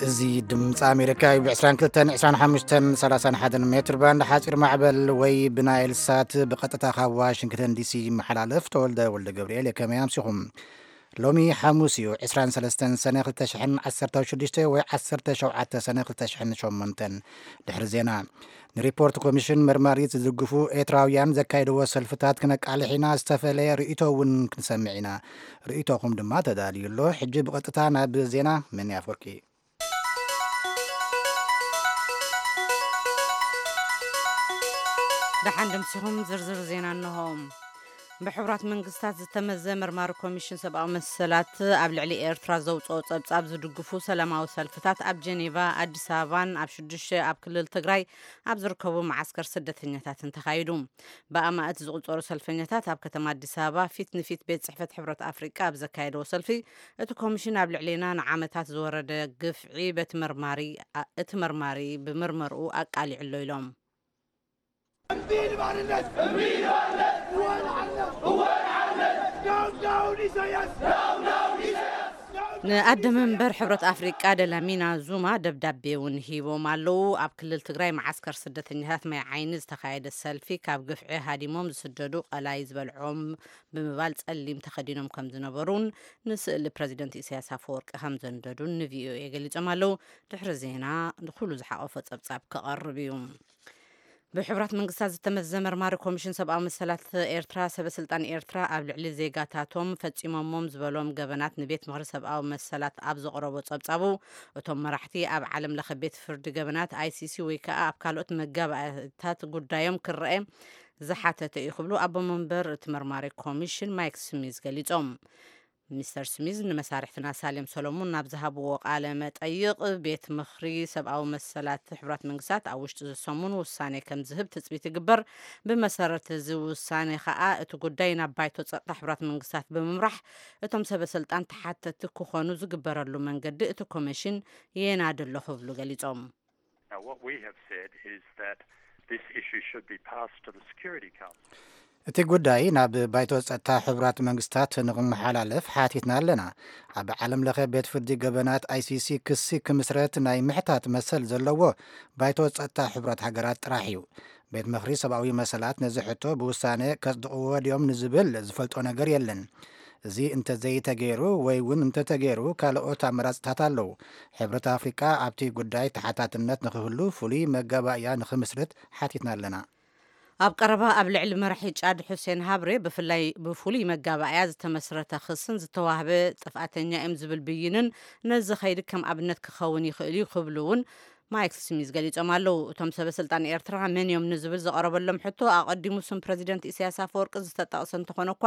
እዚ ድምፂ ኣሜሪካ እዩ። ብ22፣ 25፣ 31 ሜትር ባንድ ሓፂር ማዕበል ወይ ብናይል ሳት ብቐጥታ ካብ ዋሽንግተን ዲሲ ይመሓላለፍ። ተወልደ ወልደ ገብርኤል፣ ከመይ ኣምሲኹም? ሎሚ ሓሙስ እዩ፣ 23 ሰነ 2016 ወይ 17 ሰነ 2008። ድሕሪ ዜና፣ ንሪፖርት ኮሚሽን መርማሪት ዝድግፉ ኤርትራውያን ዘካየድዎ ሰልፍታት ክነቃልሕ ኢና። ዝተፈለየ ርእይቶ እውን ክንሰምዕ ኢና። ርእይቶኹም ድማ ተዳልዩ ኣሎ። ሕጂ ብቐጥታ ናብ ዜና። መን ኣፈወርቂ። ደሓን ደምሲኹም። ዝርዝር ዜና እንሆ። ብሕቡራት መንግስታት ዝተመዘ መርማሪ ኮሚሽን ሰብኣዊ መሰላት ኣብ ልዕሊ ኤርትራ ዘውፅኦ ጸብጻብ ዝድግፉ ሰላማዊ ሰልፍታት ኣብ ጀኔቫ፣ ኣዲስ ኣበባን ኣብ ሽዱሽተ ኣብ ክልል ትግራይ ኣብ ዝርከቡ መዓስከር ስደተኛታትን ተኻይዱ። ብኣማእት ዝቑጸሩ ሰልፈኛታት ኣብ ከተማ ኣዲስ ኣበባ ፊት ንፊት ቤት ጽሕፈት ሕብረት ኣፍሪቃ ኣብ ዘካየደዎ ሰልፊ፣ እቲ ኮሚሽን ኣብ ልዕሌና ንዓመታት ዝወረደ ግፍዒ በቲ መርማሪ፣ እቲ መርማሪ ብምርመርኡ ኣቃሊዑ ኣሎ ኢሎም። ንኣደ መንበር ሕብረት ኣፍሪቃ ደላሚና ዙማ ደብዳቤ እውን ሂቦም ኣለዉ። ኣብ ክልል ትግራይ መዓስከር ስደተኛታት ማይ ዓይኒ ዝተኻየደ ሰልፊ፣ ካብ ግፍዒ ሃዲሞም ዝስደዱ ቀላይ ዝበልዖም ብምባል ጸሊም ተኸዲኖም ከም ዝነበሩን ንስእሊ ፕረዚደንት ኢሳያስ ኣፈወርቂ ከም ዘንደዱን ንቪኦኤ ገሊጾም ኣለዉ። ድሕሪ ዜና ንኹሉ ዝሓቆፈ ጸብጻብ ክቐርብ እዩ። ብሕቡራት መንግስታት ዝተመዘ መርማሪ ኮሚሽን ሰብኣዊ መሰላት ኤርትራ፣ ሰበ ስልጣን ኤርትራ ኣብ ልዕሊ ዜጋታቶም ፈጺሞሞም ዝበሎም ገበናት ንቤት ምኽሪ ሰብኣዊ መሰላት ኣብ ዘቕረቦ ጸብጻቡ፣ እቶም መራሕቲ ኣብ ዓለም ለኸ ቤት ፍርዲ ገበናት፣ ኣይሲሲ፣ ወይ ከኣ ኣብ ካልኦት መጋባእታት ጉዳዮም ክረኤ ዝሓተተ እዩ ክብሉ ኣቦ መንበር እቲ መርማሪ ኮሚሽን ማይክ ስሚዝ ገሊጾም። ሚስተር ስሚዝ ንመሳርሕትና ሳሌም ሰሎሞን ናብ ዝሃብዎ ቃለ መጠይቕ፣ ቤት ምኽሪ ሰብኣዊ መሰላት ሕቡራት መንግስታት ኣብ ውሽጢ እዚ ሰሙን ውሳኔ ከም ዝህብ ትጽቢት ይግበር። ብመሰረት እዚ ውሳኔ ከኣ እቲ ጉዳይ ናብ ባይቶ ጸጥታ ሕቡራት መንግስታት ብምምራሕ፣ እቶም ሰበ ስልጣን ተሓተቲ ክኾኑ ዝግበረሉ መንገዲ እቲ ኮሚሽን የናዲ ኣሎ ክብሉ ገሊጾም። Now, what we have said is that this issue should be passed to the Security Council. እቲ ጉዳይ ናብ ባይቶ ጸጥታ ሕቡራት መንግስታት ንኽመሓላለፍ ሓቲትና ኣለና። ኣብ ዓለም ለኸ ቤት ፍርዲ ገበናት፣ ኣይሲሲ፣ ክሲ ክምስረት ናይ ምሕታት መሰል ዘለዎ ባይቶ ጸጥታ ሕቡራት ሃገራት ጥራሕ እዩ። ቤት ምኽሪ ሰብኣዊ መሰላት ነዚ ሕቶ ብውሳነ ከጽድቕዎ ድዮም ንዝብል ዝፈልጦ ነገር የለን። እዚ እንተዘይተገይሩ ወይ እውን እንተተገይሩ ካልኦት ኣመራጽታት ኣለዉ። ሕብረት ኣፍሪቃ ኣብቲ ጉዳይ ተሓታትነት ንኽህሉ ፍሉይ መጋባእያ ንኽምስርት ሓቲትና ኣለና። ኣብ ቀረባ ኣብ ልዕሊ መራሒ ጫድ ሑሴን ሃብሬ ብፍላይ ብፍሉይ መጋባእያ ዝተመስረተ ክስን ዝተዋህበ ጥፍኣተኛ እዮም ዝብል ብይንን ነዚ ኸይዲ ከም ኣብነት ክኸውን ይኽእል እዩ ክብሉ እውን ማይክ ስሚዝ ገሊጾም ኣለዉ። እቶም ሰበ ስልጣን ኤርትራ መን እዮም ንዝብል ዝቐረበሎም ሕቶ፣ ኣቐዲሙ ስም ፕረዚደንት ኢሳያስ ኣፈወርቂ ዝተጠቕሰ እንተኾነ እኳ፣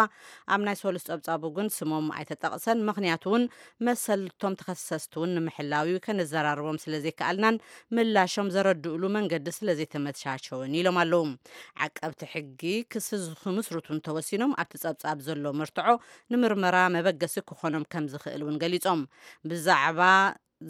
ኣብ ናይ ሰሉስ ጸብጻቡ ግን ስሞም ኣይተጠቕሰን። ምኽንያቱ እውን መሰልቶም ተኸሰስቲ እውን ንምሕላው እዩ፣ ከነዘራርቦም ስለ ዘይከኣልናን ምላሾም ዘረድእሉ መንገዲ ስለ ዘይተመቻቸወን ኢሎም ኣለዉ። ዓቀብቲ ሕጊ ክሲ ዝኽምስርቱ እንተወሲኖም፣ ኣብቲ ጸብጻብ ዘሎ መርትዖ ንምርመራ መበገሲ ክኾኖም ከም ዝኽእል እውን ገሊጾም። ብዛዕባ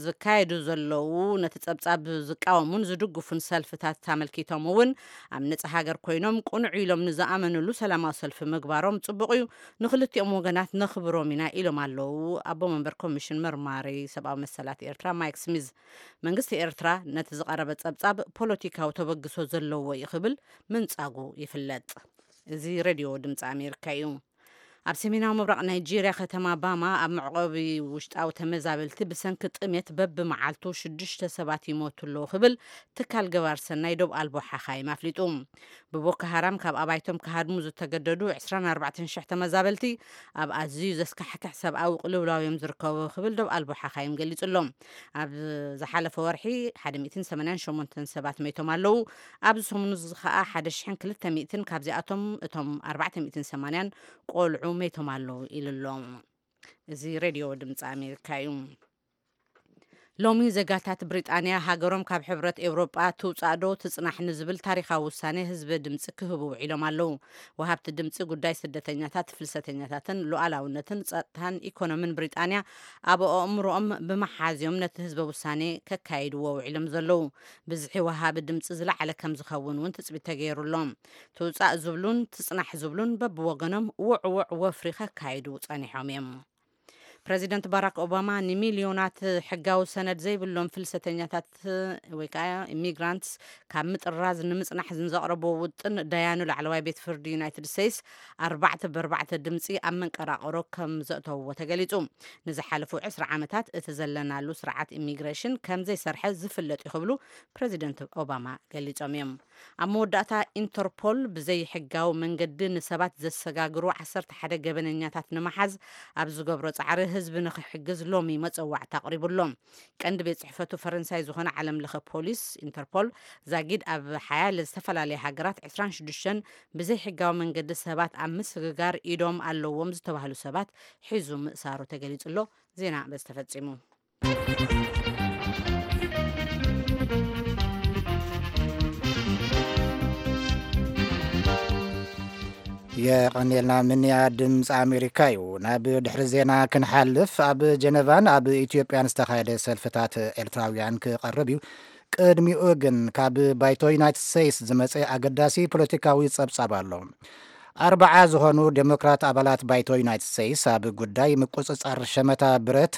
ዝካየዱ ዘለዉ ነቲ ጸብጻብ ዝቃወሙን ዝድግፉን ሰልፍታት ኣመልኪቶም እውን፣ ኣብ ነጻ ሃገር ኮይኖም ቅኑዕ ኢሎም ንዝኣመንሉ ሰላማዊ ሰልፊ ምግባሮም ጽቡቕ እዩ፣ ንኽልቲኦም ወገናት ነኽብሮም ኢና ኢሎም ኣለዉ ኣቦ መንበር ኮሚሽን መርማሪ ሰብኣዊ መሰላት ኤርትራ ማይክ ስሚዝ። መንግስቲ ኤርትራ ነቲ ዝቐረበ ጸብጻብ ፖለቲካዊ ተበግሶ ዘለዎ እዩ ክብል ምንጻጉ ይፍለጥ። እዚ ሬድዮ ድምፂ ኣሜሪካ እዩ። ኣብ ሰሜናዊ ምብራቕ ናይጄርያ ከተማ ባማ ኣብ መዕቆቢ ውሽጣዊ ተመዛበልቲ ብሰንኪ ጥሜት በብመዓልቱ ሽዱሽተ ሰባት ይሞቱ ኣለዉ ክብል ትካል ገባር ሰናይ ዶብ ኣልቦ ሓኻይም ኣፍሊጡ። ብቦኮ ሃራም ካብ ኣባይቶም ክሃድሙ ዝተገደዱ 24,000 ተመዛበልቲ ኣብ ኣዝዩ ዘስካሕክሕ ሰብኣዊ ቅልውላው እዮም ዝርከቡ ክብል ዶብ ኣልቦ ሓኻይም ገሊጹ ኣሎ። ኣብ ዝሓለፈ ወርሒ 188 ሰባት መይቶም ኣለዉ። ኣብዚ ሰሙን እዚ ከኣ 1,200፣ ካብዚኣቶም እቶም 480 ቆልዑ መይቶም ኣለዉ ኢሉ ኣሎ። እዚ ሬድዮ ድምፂ ኣሜሪካ እዩ። ሎሚ ዜጋታት ብሪጣንያ ሃገሮም ካብ ሕብረት ኤውሮጳ ትውጻእ ዶ ትጽናሕ ንዝብል ታሪኻዊ ውሳኔ ህዝቢ ድምጺ ክህቡ ውዒሎም ኣለዉ። ወሃብቲ ድምጺ ጉዳይ ስደተኛታት፣ ፍልሰተኛታትን ሉዓላውነትን ጸጥታን ኢኮኖምን ብሪጣንያ ኣብ ኣእምሮኦም ብምሓዝዮም ነቲ ህዝበ ውሳኔ ከካይድዎ ውዒሎም ዘለዉ። ብዝሒ ወሃቢ ድምጺ ዝለዓለ ከም ዝኸውን እውን ትጽቢት ተገይሩ ኣሎ። ትውጻእ ዝብሉን ትጽናሕ ዝብሉን በብወገኖም ውዕውዕ ወፍሪ ከካይዱ ጸኒሖም እዮም። ፕረዚደንት ባራክ ኦባማ ንሚልዮናት ሕጋዊ ሰነድ ዘይብሎም ፍልሰተኛታት ወይ ከዓ ኢሚግራንትስ ካብ ምጥራዝ ንምፅናሕ ንዘቕረብዎ ውጥን ደያኑ ላዕለዋይ ቤት ፍርዲ ዩናይትድ ስቴትስ ኣርባዕተ ብኣርባዕተ ድምፂ ኣብ መንቀራቕሮ ከም ዘእተውዎ ተገሊፁ። ንዝሓለፉ ዕስራ ዓመታት እቲ ዘለናሉ ስርዓት ኢሚግሬሽን ከም ዘይሰርሐ ዝፍለጥ እዩ ክብሉ ፕረዚደንት ኦባማ ገሊፆም እዮም። ኣብ መወዳእታ ኢንተርፖል ብዘይሕጋዊ መንገዲ ንሰባት ዘሰጋግሩ ዓሰርተ ሓደ ገበነኛታት ንምሓዝ ኣብ ዝገብሮ ፃዕሪ ህዝቢ ንክሕግዝ ሎሚ መፀዋዕታ ኣቕሪቡ ኣሎ። ቀንዲ ቤት ፅሕፈቱ ፈረንሳይ ዝኾነ ዓለም ለኸ ፖሊስ ኢንተርፖል ዛጊድ ኣብ ሓያለ ዝተፈላለየ ሃገራት ዕስራን ሽዱሽተን ብዘይሕጋዊ መንገዲ ሰባት ኣብ ምስግጋር ኢዶም ኣለዎም ዝተባህሉ ሰባት ሒዙ ምእሳሩ ተገሊፁ ኣሎ። ዜና በዚ ተፈፂሙ። የቐንየልና ምንያ ድምፂ ኣሜሪካ እዩ። ናብ ድሕሪ ዜና ክንሓልፍ፣ ኣብ ጀነቫን ኣብ ኢትዮጵያን ዝተኻየደ ሰልፍታት ኤርትራውያን ክቐርብ እዩ። ቅድሚኡ ግን ካብ ባይቶ ዩናይትድ ስቴትስ ዝመፀ ኣገዳሲ ፖለቲካዊ ጸብጻብ ኣሎ። ኣርባዓ ዝኾኑ ዴሞክራት ኣባላት ባይቶ ዩናይትድ ስቴትስ ኣብ ጉዳይ ምቁጽጻር ሸመታ ብረት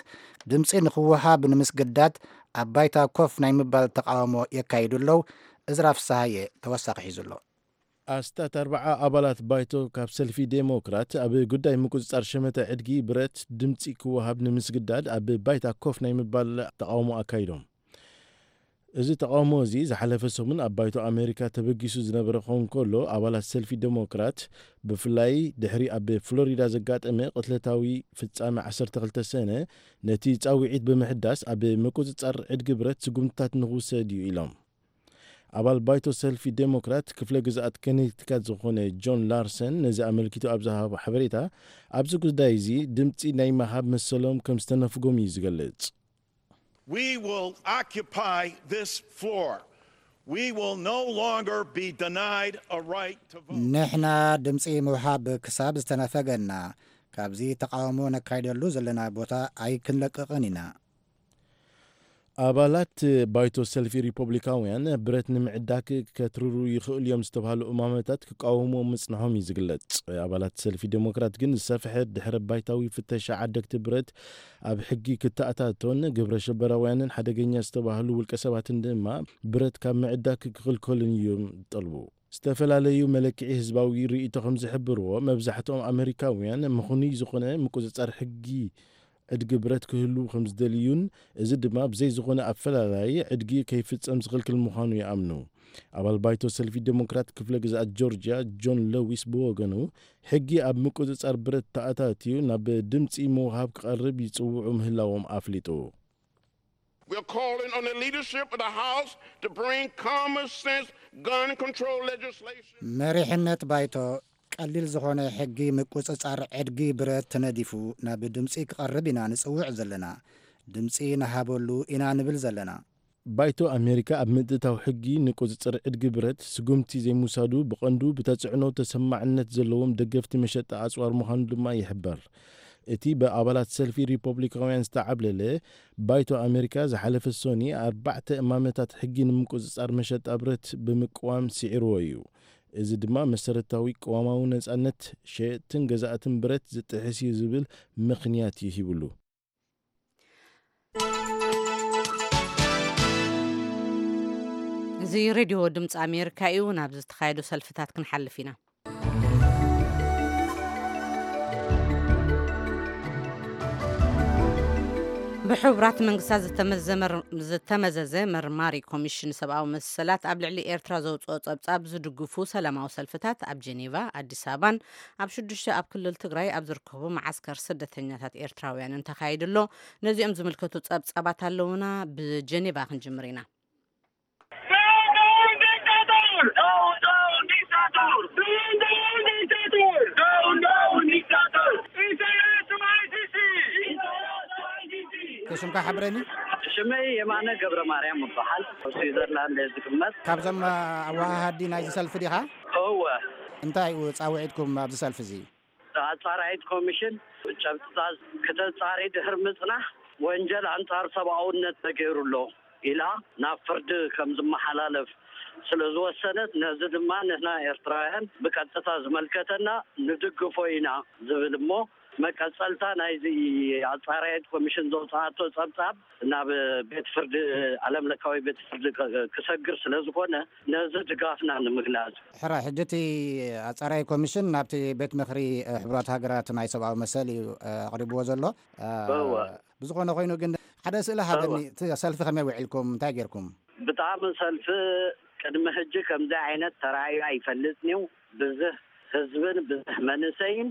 ድምፂ ንክወሃብ ንምስግዳድ ኣብ ባይታ ኮፍ ናይ ምባል ተቃውሞ የካይዱ ኣለዉ። እዝራ ፍስሃየ ተወሳኺ ሒዙ ኣሎ። ኣስታት ኣርባዓ ኣባላት ባይቶ ካብ ሰልፊ ዴሞክራት ኣብ ጉዳይ ምቁጽጻር ሸመተ ዕድጊ ብረት ድምጺ ክወሃብ ንምስግዳድ ኣብ ባይታ ኮፍ ናይ ምባል ተቓውሞ ኣካይዶም። እዚ ተቓውሞ እዚ ዝሓለፈ ሰሙን ኣብ ባይቶ ኣሜሪካ ተበጊሱ ዝነበረ ክኸውን ከሎ፣ ኣባላት ሰልፊ ዴሞክራት ብፍላይ ድሕሪ ኣብ ፍሎሪዳ ዘጋጠመ ቅትለታዊ ፍጻመ ዓሰርተ ክልተ ሰነ ነቲ ጻውዒት ብምሕዳስ ኣብ ምቁጽጻር ዕድጊ ብረት ስጉምትታት ንኽውሰድ እዩ ኢሎም። ኣባል ባይቶ ሰልፊ ዴሞክራት ክፍለ ግዝኣት ኮኔቲካት ዝኾነ ጆን ላርሰን ነዚ ኣመልኪቱ ኣብ ዝሃቦ ሓበሬታ፣ ኣብዚ ጉዳይ እዚ ድምጺ ናይ ምሃብ መሰሎም ከም ዝተነፍጎም እዩ ዝገልጽ። We will occupy this floor. We will no longer be denied a right to vote. ንሕና ድምጺ ምውሃብ ክሳብ ዝተነፈገና፣ ካብዚ ተቓውሞ ነካይደሉ ዘለና ቦታ ኣይክንለቅቕን ኢና። ኣባላት ባይቶ ሰልፊ ሪፖብሊካውያን ብረት ንምዕዳግ ከትርሩ ይኽእሉ እዮም ዝተባህሉ እማመታት ክቃወሙ ምጽንሖም እዩ ዝግለጽ። ኣባላት ሰልፊ ዴሞክራት ግን ዝሰፍሐ ድሕረ ባይታዊ ፍተሻ ዓደግቲ ብረት ኣብ ሕጊ ክተኣታቶን ግብረ ሽበራውያንን ሓደገኛ ዝተባህሉ ውልቀ ሰባትን ድማ ብረት ካብ ምዕዳግ ክኽልከሉን እዮም ዝጠልቡ። ዝተፈላለዩ መለክዒ ህዝባዊ ርእይቶ ከም ዝሕብርዎ፣ መብዛሕትኦም ኣመሪካውያን ምኽኑይ ዝኾነ ምቁጽጻር ሕጊ ዕድጊ ብረት ክህሉ ከም ዝደልዩን፣ እዚ ድማ ብዘይ ዝኾነ ኣፈላላይ ዕድጊ ከይፍጸም ዝኽልክል ምዃኑ ይኣምኑ። ኣባል ባይቶ ሰልፊ ዴሞክራት ክፍለ ግዝኣት ጆርጅያ ጆን ለዊስ ብወገኑ፣ ሕጊ ኣብ ምቁጽጻር ብረት ተኣታትዩ ናብ ድምጺ ምውሃብ ክቐርብ ይጽውዑ ምህላዎም ኣፍሊጡ። We're calling on the leadership of the House to bring common sense gun control legislation. መሪሕነት ባይቶ ቀሊል ዝኾነ ሕጊ ምቁጽጻር ዕድጊ ብረት ተነዲፉ ናብ ድምጺ ክቐርብ ኢና ንጽውዕ ዘለና። ድምጺ ንሃበሉ ኢና ንብል ዘለና። ባይቶ ኣሜሪካ ኣብ ምትእትታው ሕጊ ንቁጽጽር ዕድጊ ብረት ስጉምቲ ዘይምውሳዱ ብቐንዱ ብተጽዕኖ ተሰማዕነት ዘለዎም ደገፍቲ መሸጣ ኣጽዋር ምዃኑ ድማ ይሕበር። እቲ ብኣባላት ሰልፊ ሪፖብሊካውያን ዝተዓብለለ ባይቶ ኣሜሪካ ዝሓለፈ ሶኒ ኣርባዕተ እማመታት ሕጊ ንምቁጽጻር መሸጣ ብረት ብምቅዋም ስዒርዎ እዩ። እዚ ድማ መሰረታዊ ቅዋማዊ ነጻነት ሸየጥትን ገዛእትን ብረት ዝጥሕስ እዩ ዝብል ምኽንያት እዩ ሂብሉ። እዚ ሬድዮ ድምፂ ኣሜሪካ እዩ። ናብ ዝተኻየዱ ሰልፍታት ክንሓልፍ ኢና። ብሕቡራት መንግስታት ዝተመዘመር-፣ ዝተመዘዘ መርማሪ ኮሚሽን ሰብኣዊ መሰላት ኣብ ልዕሊ ኤርትራ ዘውፅኦ ጸብጻብ ዝድግፉ ሰላማዊ ሰልፍታት ኣብ ጄኔቫ፣ ኣዲስ ኣበባን ኣብ ሽዱሽተ ኣብ ክልል ትግራይ ኣብ ዝርከቡ መዓስከር ስደተኛታት ኤርትራውያንን ተኻይዱ ኣሎ። ነዚኦም ዝምልከቱ ጸብጻባት ኣለውና። ብጀኔቫ ክንጅምር ኢና። ስምካ ሓብረኒ። ሽመይ የማነ ገብረ ማርያም እበሃል። ኣብ ስዊዘርላንድ እየ ዝቅመጥ። ካብዞም ኣወሃሃዲ ናይዚ ሰልፊ ዲኻ? እወ። እንታይ እዩ ጻውዒትኩም ኣብዚ ሰልፊ እዚ? ኣጻራይት ኮሚሽን ጨብጥታት ክተጻሪ ድሕሪ ምጽናሕ፣ ወንጀል ኣንጻር ሰብኣውነት ተገይሩ ኣሎ ኢላ ናብ ፍርዲ ከም ዝመሓላለፍ ስለ ዝወሰነት፣ ነዚ ድማ ንሕና ኤርትራውያን ብቀጥታ ዝመልከተና ንድግፎ ኢና ዝብል እሞ፣ መቀጸልታ ናይዚ ኣጻራየት ኮሚሽን ዘውጽኣቶ ጸብጻብ ናብ ቤት ፍርዲ፣ ዓለም ለካዊ ቤት ፍርዲ ክ-፣ ክሰግር ስለ ዝኾነ፣ ነዚ ድጋፍና ንምግላጽ። ሕራይ፣ ሕጂ እቲ ኣጻራይ ኮሚሽን ናብቲ ቤት ምኽሪ፣ እ፣ ሕቡራት ሃገራት ናይ ሰብኣዊ መሰል እዩ፣ እ፣ ኣቕሪብዎ ዘሎ። እ፣ እወ። ብዝኾነ ኮይኑ ግን ሓደ ስእሊ ሃበኒ፣ እወ። እቲ ሰልፊ ከመይ ውዒልኩም? እንታይ ጌርኩም? ብጣዕሚ ሰልፊ ቅድሚ ሕጂ ከምዚ ዓይነት ተራእዩ ኣይፈልጥን እዩ። ብዝሕ ህዝብን ብዝሕ መንእሰይን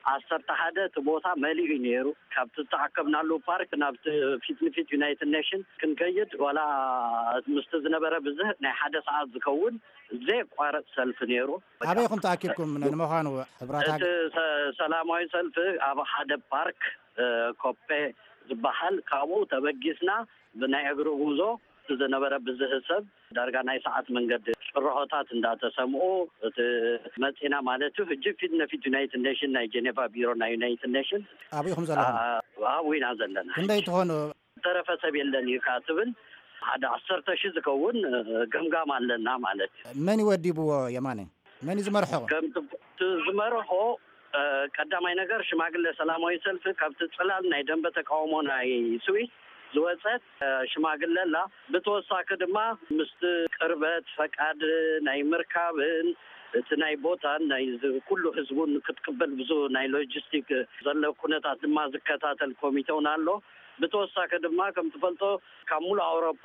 ዓሰርተ ሓደ እቲ ቦታ መሊኡ እዩ ነይሩ። ካብቲ ዝተኣከብናሉ ፓርክ ናብቲ ፊት ንፊት ዩናይትድ ኔሽን ክንከይድ ዋላ ምስቲ ዝነበረ ብዝሕ ናይ ሓደ ሰዓት ዝከውን ዘየቋርጽ ሰልፊ ነይሩ። ኣበይ ኢኹም ተኣኪብኩም? ንምዃኑ፣ ሕብራት እቲ ሃገ- ሰ-፣ ሰላማዊ ሰልፊ ኣብ ሓደ ፓርክ፣ እ፣ ኮፔ ዝበሃል፣ ካብኡ ተበጊስና ብናይ እግሪ ጉዞ ዝነበረ ብዝህ ሰብ ዳርጋ ናይ ሰዓት መንገዲ ጭርሖታት እንዳተሰምዑ፣ እቲ መጺና ማለት እዩ። ሕጂ ፊት ንፊት ዩናይትድ ኔሽን፣ ናይ ጀኔቫ ቢሮ ናይ ዩናይትድ ኔሽን፣ ኣበይ ኢኹም ዘለኹም? ኣ-፣ ኣብኡ ኢና ዘለና። ክንደይ ትኾኑ? ዝተረፈ ሰብ የለን እዩ ከኣ ትብል፣ ሓደ ዓሰርተ ሺህ ዝኸውን፣ እ፣ ገምጋም ኣለና ማለት እዩ። መን እዩ ወዲብዎ የማነ? መን እዩ ዝመርሖ? ከም ት-፣ ት-፣ ዝመርሖ፣ እ፣ ቀዳማይ ነገር ሽማግለ ሰላማዊ ሰልፊ ካብቲ ጽላል ናይ ደንበ ተቃውሞ ናይ ስዊስ ዝወጸት፣ እ፣ ሽማግለ ኣላ። ብተወሳኺ ድማ ምስቲ ቅርበት ፈቃድ ናይ ምርካብን እቲ ናይ ቦታን ናይ ዝ-፣ ኩሉ ህዝቡን ክትቅበል ብዙ ናይ ሎጂስቲክ ዘሎ ኩነታት ድማ ዝከታተል ኮሚተ እውን ኣሎ። ብተወሳኺ ድማ ከም ትፈልጦ ካብ ሙሉእ ኣውሮፓ፣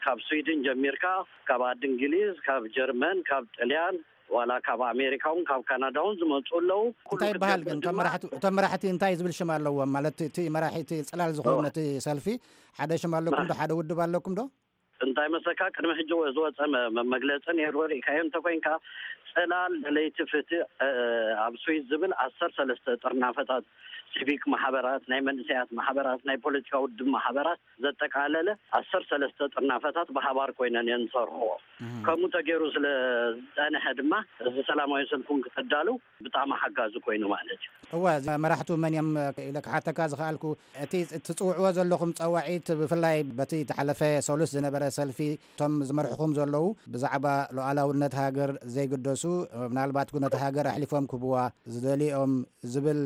ካብ ስዊድን ጀሚርካ፣ ካብ ዓዲ እንግሊዝ፣ ካብ ጀርመን፣ ካብ ጥልያን፣ ዋላ ካብ ኣሜሪካ እውን ካብ ካናዳ እውን ዝመፁ ኣለዉ። ኩሉ እንታይ ይበሃል ክትገብር ግን? እቶም ድማ መራሕቲ፣ እቶም መራሕቲ እንታይ ዝብል ሽም ኣለዎም? ማለት እቲ መራሒ፣ እቲ ፅላል ዝኸውን እዋ። ነቲ ሰልፊ ሓደ ሽም ኣለኩም ዶ? ሓደ ውድብ ኣለኩም ዶ? እንታይ መስለካ፣ ቅድሚ ሕጂ ወ-፣ ዝወፀ መ-፣ መ-፣ መግለፂ ነይሩ። ርኢካዮ እንተኮይንካ፣ ፅላል ደለይቲ ፍትሕ፣ እ፣ ኣብ ስዊስ ዝብል ዓሰርተ ሰለስተ ጥርናፈታት፣ ሲቪክ ማሕበራት፣ ናይ መንእሰያት ማሕበራት፣ ናይ ፖለቲካ ውድብ ማሕበራት ዘጠቃለለ ዓሰርተ ሰለስተ ጥርናፈታት ብሓባር ኮይነን እየን ዝሰርሕዎ። እህ። ከምኡ ተገይሩ ስለ ዝፀንሐ ድማ፣ እዚ ሰላማዊ ሰልፉን ክተዳልው ብጣዕሚ ሓጋዚ ኮይኑ ማለት እዩ። እወ፣ እዚ መራሕቱ መን እዮም ኢለ ክሓተካ ዝኸኣልኩ፣ እቲ ትጽውዕዎ ዘለኹም ጸዋዒት፣ ብፍላይ በቲ ተሓለፈ ሰሉስ ዝነበረ ሰልፊ፣ እቶም ዝመርሕኹም ዘለዉ ብዛዕባ ሉዓላውነት ሃገር ዘይግደሱ፣ ምናልባት እውን ነታ ሃገር ኣሕሊፎም ክህብዋ ዝደልዮም ዝብል፣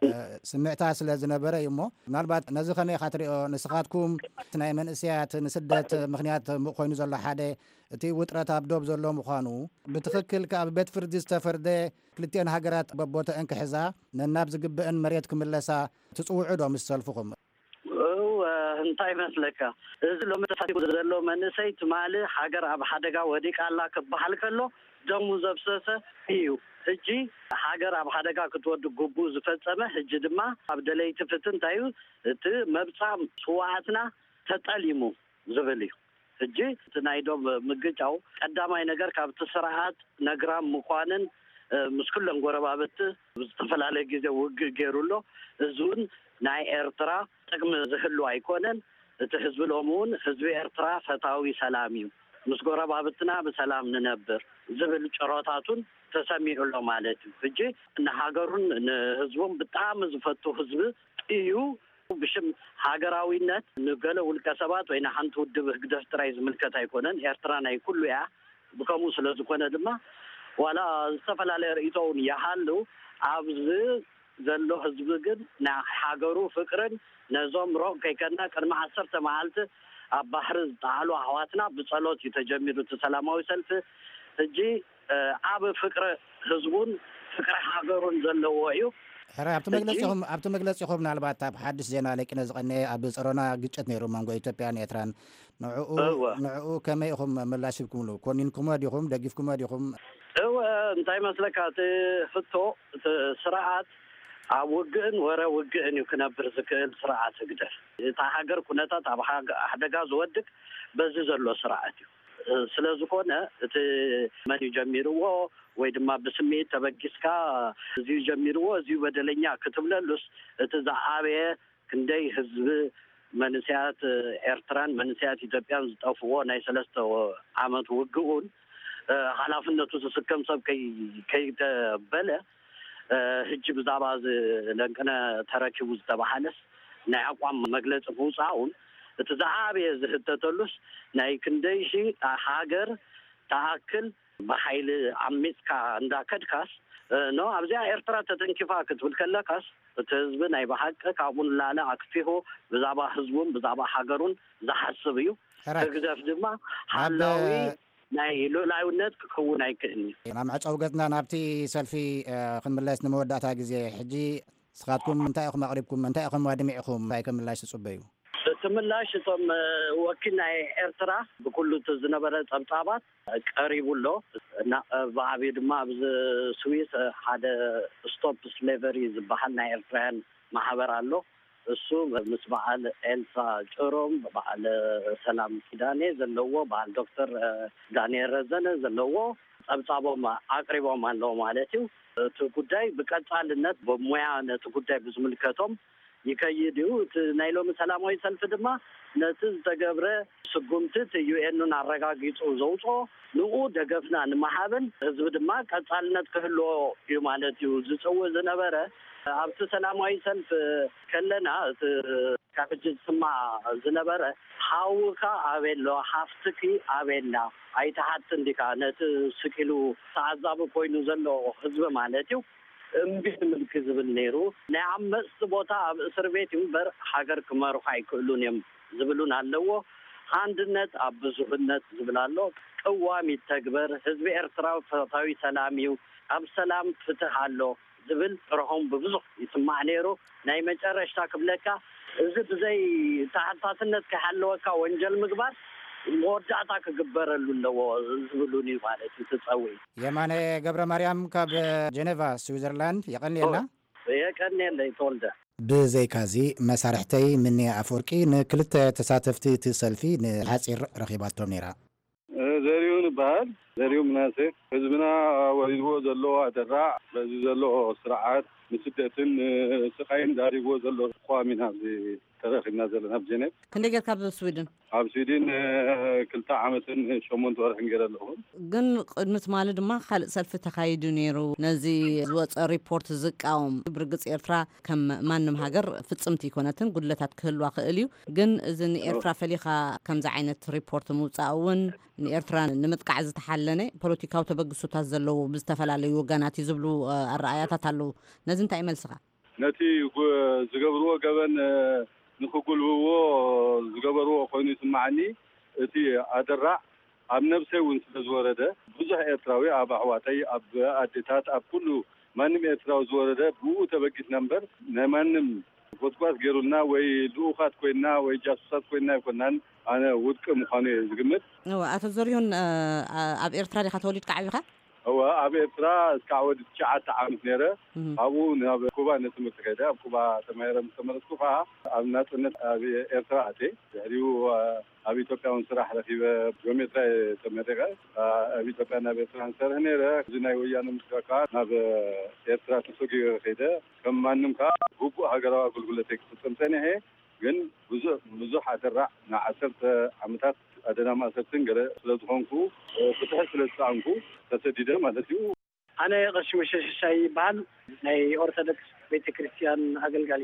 እ፣ ስምዕታ ስለ ዝነበረ እዩ እሞ፣ ምናልባት ነዚ ከመይ ኢኻ ትሪኦ? ንስኻትኩም እቲ ናይ መንእሰያት ንስደት ምኽንያት ኮይኑ ዘሎ ሓደ እቲ ውጥረት ኣብ ዶብ ዘሎ ምዃኑ፣ ብትኽክል ከኣ ብቤት ፍርዲ ዝተፈርደ፣ ክልቲኤን ሃገራት በቦተአን ክሕዛ፣ ነናብ ዝግበአን መሬት ክምለሳ ትጽውዑ ዶ ምስ ሰልፍኹም? እወ፣ እንታይ መስለካ፣ እዚ ሎሚ ተሳቲፉ ዘሎ መንእሰይ ትማሊ ሃገር ኣብ ሓደጋ ወዲቃ ኣላ ክበሃል ከሎ ደሙ ዘፍሰሰ እዩ። ሕጂ ሃገር ኣብ ሓደጋ ክትወድቅ ግቡእ ዝፈጸመ፣ ሕጂ ድማ ኣብ ደለይቲ ፍትሒ እንታይ እዩ እቲ መብጻም ስውኣትና ተጠሊሙ ዝብል እዩ። ሕጂ እቲ ናይ ዶብ ምግጫው ቀዳማይ ነገር ካብቲ ስርዓት ነግራም ምዃንን፣ እ፣ ምስ ኩለን ጎረባብቲ ብዝተፈላለየ ግዜ ውግእ ገይሩ ኣሎ። እዚ እውን ናይ ኤርትራ ጥቅሚ ዝህሉ ኣይኮነን። እቲ ህዝቢ ሎሚ እውን ህዝቢ ኤርትራ ፈታዊ ሰላም እዩ። ምስ ጎረባብትና ብሰላም ንነብር ዝብል ጭሮታቱን ተሰሚዑ ኣሎ ማለት እዩ። ሕጂ ንሃገሩን ንህዝቡን ብጣዕሚ ዝፈቱ ህዝቢ እዩ። ብሽም ሃገራዊነት ንገለ ውልቀ ሰባት ወይ ንሓንቲ ውድብ ህግደፍ ጥራይ ዝምልከት ኣይኮነን። ኤርትራ ናይ ኩሉ እያ። ብከምኡ ስለ ዝኾነ ድማ ዋላ ዝተፈላለየ ርእይቶ እውን ይሃሉ፣ ኣብዚ ዘሎ ህዝቢ ግን ናይ ሃገሩ ፍቅርን ነዞም ሮቅ ከይከድና ቅድሚ ዓሰርተ መዓልቲ ኣብ ባሕሪ ዝጠዓሉ ኣሕዋትና ብጸሎት እዩ ተጀሚሩ እቲ ሰላማዊ ሰልፊ። ሕጂ፣ እ፣ ዓቢ ፍቅሪ ህዝቡን ፍቅሪ ሃገሩን ዘለዎ እዩ። ሕራይ፣ ኣብቲ ሕጂ መግለጺኹም፣ ኣብቲ መግለጺኹም ምናልባት ኣብ ሓድሽ ዜና ለቂነ ዝቐነየ ኣብ ጸሮና ግጭት ነይሩ መንጎ ኢትዮጵያን ኤርትራን። ንዕኡ፣ እወ። ንዕኡ ከመይ ኢኹም ምላሽ ሂብኩምሉ? ኮኒንኩሞ ዲኹም? ደጊፍኩሞ ዲኹም? እወ፣ እንታይ መስለካ፣ እቲ ሕቶ፣ እቲ ስርዓት ኣብ ውግእን ወረ ውግእን እዩ ክነብር ዝክእል ስርዓት ህግደፍ። እታ ሃገር ኩነታት ኣብ ሓገ-፣ ሓደጋ ዝወድቅ በዚ ዘሎ ስርዓት እዩ። እ፣ ስለ ዝኾነ እቲ መን እዩ ጀሚርዎ ወይ ድማ ብስምዒት ተበጊስካ እዚ እዩ ጀሚርዎ፣ እዚ እዩ በደለኛ ክትብለሉስ፣ እቲ ዝዓበየ ክንደይ ህዝቢ መንእሰያት ኤርትራን መንእሰያት ኢትዮጵያን ዝጠፍዎ ናይ ሰለስተ ዓመት ውግኡን፣ እ፣ ሓላፍነቱ ዝስከም ሰብ ከይ-፣ ከይተበለ፣ እ፣ ሕጂ ብዛዕባ እዚ ለንቅነ ተረኪቡ ዝተባሃለስ ናይ ኣቋም መግለጺ ምውጻኡን እቲ ዝዓበየ ዝህተተሉስ ናይ ክንደይ ሺ ሃገር ተኣክል ብሓይሊ ዓሚጽካ እንዳከድካስ እ፣ ኖ ኣብዚኣ ኤርትራ ተተንኪፋ ክትብል ከለካስ፣ እቲ ህዝቢ ናይ ብሓቂ ካብኡ ንላዕሊ ኣክፊኹ ብዛዕባ ህዝቡን ብዛዕባ ሃገሩን ዝሓስብ እዩ። ሕራይ። ህግደፍ ድማ ኣብ ሓላዊ ናይ ሉዕላዊነት ክኸውን ኣይክእልን እዩ። ናብ መዕጸዊ ገጽና ናብቲ ሰልፊ፣ እ፣ ክንምለስ ንመወዳእታ ግዜ። ሕጂ ንስኻትኩም እንታይ ኢኹም ኣቕሪብኩም? እንታይ ኢኹም ኣድሚዕኹም? እንታይ ከም ምላሽ ትጽበዩ? እቲ ምላሽ እቶም፣ እ፣ ወኪል ናይ ኤርትራ ብኩሉ እቲ ዝነበረ ጸብጻባት ቀሪቡ ኣሎ። እና፣ እ፣ ብዓብዩ ድማ ኣብዚ ስዊስ፣ እ፣ ሓደ ስቶፕ ስሌቨሪ ዝበሃል ናይ ኤርትራውያን ማሕበር ኣሎ። እሱ ምስ በዓል ኤልሳ ጭሮም፣ በዓል ሰላም ኪዳኔ ዘለዎ፣ በዓል ዶክተር፣ እ፣ ዳንኤል ረዘነ ዘለዎ ጸብጻቦም ኣቅሪቦም ኣለዉ ማለት እዩ። እቲ ጉዳይ ብቀጻልነት ብሞያ ነቲ ጉዳይ ብዝምልከቶም ይከይድ እዩ። እቲ ናይ ሎሚ ሰላማዊ ሰልፊ ድማ ነቲ ዝተገብረ ስጉምቲ እቲ ዩ ኤን ን ኣረጋጊጹ ዘውጽኦ ንኡ ደገፍና ንምሃብን ህዝቢ ድማ ቀጻልነት ክህልዎ እዩ ማለት እዩ ዝጽውዕ ዝነበረ። ኣብቲ ሰላማዊ ሰልፊ ከለና እቲ ካብ ሕጂ ዝስማዕ ዝነበረ፣ "ሓውካ ኣበይ ኣሎ? ሓፍትኪ ኣበይ ኣላ? ኣይትሓትን ዲካ?" ነቲ ስቅ ኢሉ ተዓዛቢ ኮይኑ ዘሎ ህዝቢ ማለት እዩ። እምቢ ንምልኪ ዝብል ነይሩ። ናይ ዓመጽቲ ቦታ ኣብ እስር ቤት እዩ እምበር ሃገር ክመርሑ ኣይክእሉን እዮም ዝብሉን ኣለዎ። "ኣንድነት ኣብ ብዙህነት" ዝብል ኣሎ። "ቅዋም ይተግበር፣ ህዝቢ ኤርትራ ፈታዊ ሰላም እዩ፣ ኣብ ሰላም ፍትህ ኣሎ" ዝብል ጭርሖም ብብዙሕ ይስማዕ ነይሩ። ናይ መጨረሽታ ክብለካ፣ እዚ ብዘይ ተሓታትነት ከይሃለወካ ወንጀል ምግባር መወዳእታ ክግበረሉ ኣለዎ ዝብሉን እዩ ማለት እዩ እቲ ጸውዒት። የማነ ገብረ ማርያም ካብ ጀኔቫ ስዊዘርላንድ፣ የቐንየልና። የቀንየለይ ተወልደ። ብዘይካዚ፣ መሳርሕተይ ምንያ ኣፈወርቂ ንክልተ ተሳተፍቲ እቲ ሰልፊ ንሓጺር ረኺባቶም ነይራ። ዘሪሁን እበሃል። ዘሪሁን ምናሴ። ህዝብና ወሪድዎ ዘሎ ኣደራዕ፣ በዚ ዘሎ ስርዓት ንስደትን ስቃይን ዳሪግዎ ዘሎ ተቃዋሚና ኣብዚ ተረኺብና ዘለና ኣብ ጀኔቭ። ክንደይ ጌርካ ኣብ ስዊድን? ኣብ ስዊድን፣ እ፣ ክልተ ዓመትን ሸሞንተ ወርሕን ገይረ ኣለኹ። ግን ቅድሚ ትማሊ ድማ ካልእ ሰልፊ ተኻይዱ ነይሩ። ነዚ ዝወጸ ሪፖርት ዝቃወም። ብርግጽ ኤርትራ ከም ማንም ሃገር ፍጽምቲ ኣይኮነትን፣ ጉድለታት ክህልዋ ክእል እዩ። ግን እዚ ንኤርትራ ፈሊኻ ከምዚ ዓይነት ሪፖርት ምውጻእ እውን ንኤርትራ ንምጥቃዕ ዝተሓለነ ፖለቲካዊ ተበግሶታት ዘለዎ ብዝተፈላለዩ ወገናት እዩ ዝብሉ፣ እ፣ ኣረኣያታት ኣለዉ። ነዚ እንታይ መልስኻ? ነቲ ጉ-፣ ዝገብርዎ ገበን፣ እ፣ ንኽጉልብዎ ዝገበርዎ ኮይኑ ይስምዓኒ። እቲ ኣደራዕ ኣብ ነብሰይ እውን ስለ ዝወረደ፣ ብዙሕ ኤርትራዊ፣ ኣብ ኣሕዋተይ፣ ኣብ ኣዴታት፣ ኣብ ኩሉ ማንም ኤርትራዊ ዝወረደ ብኡ ተበጊስና እምበር፣ ናይ ማንም ጎስጓስ ገይሩልና ወይ ልኡኻት ኮይንና ወይ ጃሱሳት ኮይንና ኣይኮናን። ኣነ ውድቂ ምዃኑ እየ ዝግምት። እወ፣ ኣቶ ዘሪሁን፣ እ፣ ኣ-፣ ኣብ ኤርትራ ዲኻ ተወሊድካ ዓቢኻ? እወ፣ ኣብ ኤርትራ እስካዕ ወዲ ትሽዓተ ዓመት ነይረ። እህ። ካብኡ ናብ ኩባ ንትምህርቲ ከይደ። ኣብ ኩባ ተማሂረ ምስ ተመለስኩ ከኣ ኣብ ናጽነት ኣብ ኤርትራ ኣትየ። ድሕሪኡ፣ እ፣ ኣብ ኢትዮጵያ እውን ስራሕ ረኺበ። ጂኦሜትራ እየ ተመሪቐ። እ፣ ኣብ ኢትዮጵያ ናብ ኤርትራ ንሰርሕ ነይረ። እዚ ናይ ወያነ ምስጋር ከኣ ናብ ኤርትራ ተሰጊረ ከይደ። ከም ማንም ከኣ ግቡእ ሃገራዊ ኣገልግሎተይ ክፍጽም ጸኒሐ። ግን ብዙሕ፣ ብዙሕ ኣደራዕ ንዓሰርተ ዓመታት ኣደና ማእሰርትን ገለ ስለ ዝኾንኩ፣ እ፣ ፍትሒ ስለ ዝሰኣንኩ ተሰዲደ ማለት እዩ። ኣነ ቀሺ ሙሴ ሽሻይ ይበሃል። ናይ ኦርቶዶክስ ቤተ ክርስቲያን ኣገልጋሊ።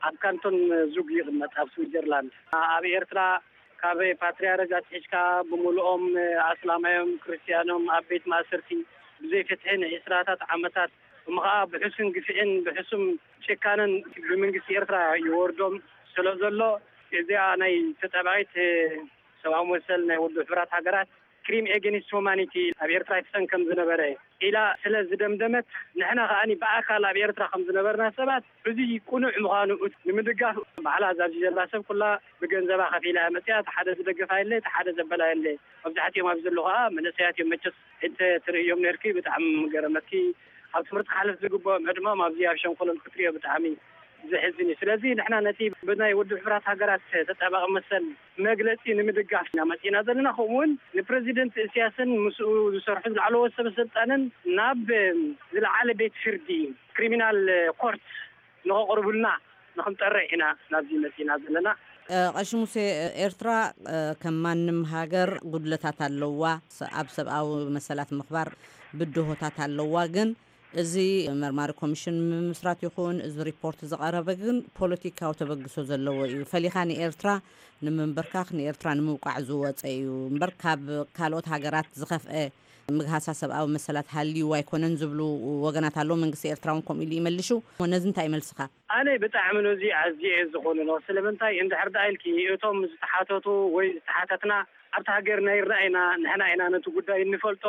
ኣብ ካንቶን ዙግ ይቕመጥ፣ ኣብ ስዊዘርላንድ። ኣብ ኤርትራ ካብ ፓትርያርክ ኣትሒዝካ ብምሉኦም ኣስላማዮም ክርስትያኖም ኣብ ቤት ማእሰርቲ ብዘይ ፍትሒ ንዕስራታት ዓመታት፣ እሞ ኸዓ ብሕሱም ግፍዕን ብሕሱም ጭካነን ብመንግስቲ ኤርትራ ይወርዶም ስለ ዘሎ፣ እዚኣ ናይ ተጣባቂት ሰብኣዊ መሰል ናይ ውድብ ሕቡራት ሃገራት ክሪም ኤጌንስት ሁማኒቲ ኣብ ኤርትራ ይፍጸም ከም ዝነበረ ኢላ ስለ ዝደምደመት፣ ንሕና ከኣ ብኣካል ኣብ ኤርትራ ከም ዝነበርና ሰባት፣ እዚ ቅኑዕ ምዃኑ ንምድጋፍ፣ ባዕላ ኣብዚ ዘላ ሰብ ኩላ ብገንዘባ ከፊላ እያ መጺኣ። እቲ ሓደ ዝደገፋ የለ፣ እቲ ሓደ ዘበላ የለ። መብዛሕትኦም ኣብዚ ዘለዉ ከኣ መንእሰያት እዮም። መቸስ እንተ ትርእዮም ነርኪ፣ ብጣዕሚ ምገረመኪ። ኣብ ትምህርቲ ክሓልፍ ዝግብኦም ዕድመኦም ኣብዚ ኣብ ሸንኮለል ክትርእዮ ብጣዕሚ ዘሕዝን እዩ። ስለዚ ንሕና ነቲ ብናይ ውድብ ሕቡራት ሃገራት ተጣባቂ መሰል መግለጺ ንምድጋፍ ኢና መጺእና ዘለና። ከምኡ እውን ንፕረዚደንት እስያስን ምስኡ ዝሰርሑ ዝለዓለዎ ሰበ ስልጣንን ናብ ዝለዓለ ቤት ፍርዲ ክሪሚናል ኮርት ንኸቕርቡልና ንኽንጠርዕ ኢና ናብዚ መጺእና ዘለና። እ፣ ቀሺ ሙሴ፣ ኤርትራ፣ እ፣ ከም ማንም ሃገር ጉድለታት ኣለዋ። ስ-፣ ኣብ ሰብኣዊ መሰላት ምኽባር ብድሆታት ኣለዋ። ግን እዚ መርማሪ ኮሚሽን ምምስራት ይኹን እዚ ሪፖርት ዝቐረበ ግን ፖለቲካዊ ተበግሶ ዘለዎ እዩ። ፈሊኻ ንኤርትራ ንምንብርካኽ፣ ንኤርትራ ንምውቃዕ ዝወፀ እዩ እምበር ካብ ካልኦት ሃገራት ዝኸፍአ ምግሃሳ ሰብኣዊ መሰላት ሃልዩ ኣይኮነን ዝብሉ ወገናት ኣለዉ። መንግስቲ ኤርትራ እውን ከምኡ ኢሉ ይመልሹ። ነዚ እንታይ ይመልስኻ? ኣነ ብጣዕሚ ነዚ ኣዝየ እየ ዝኾንኖ። ስለምንታይ እንድሕር ደኣ ኢልኪ እቶም ዝተሓተቱ ወይ ዝተሓተትና ኣብቲ ሃገርና ይረኣይና፣ ንሕና ኢና ነቲ ጉዳይ እንፈልጦ።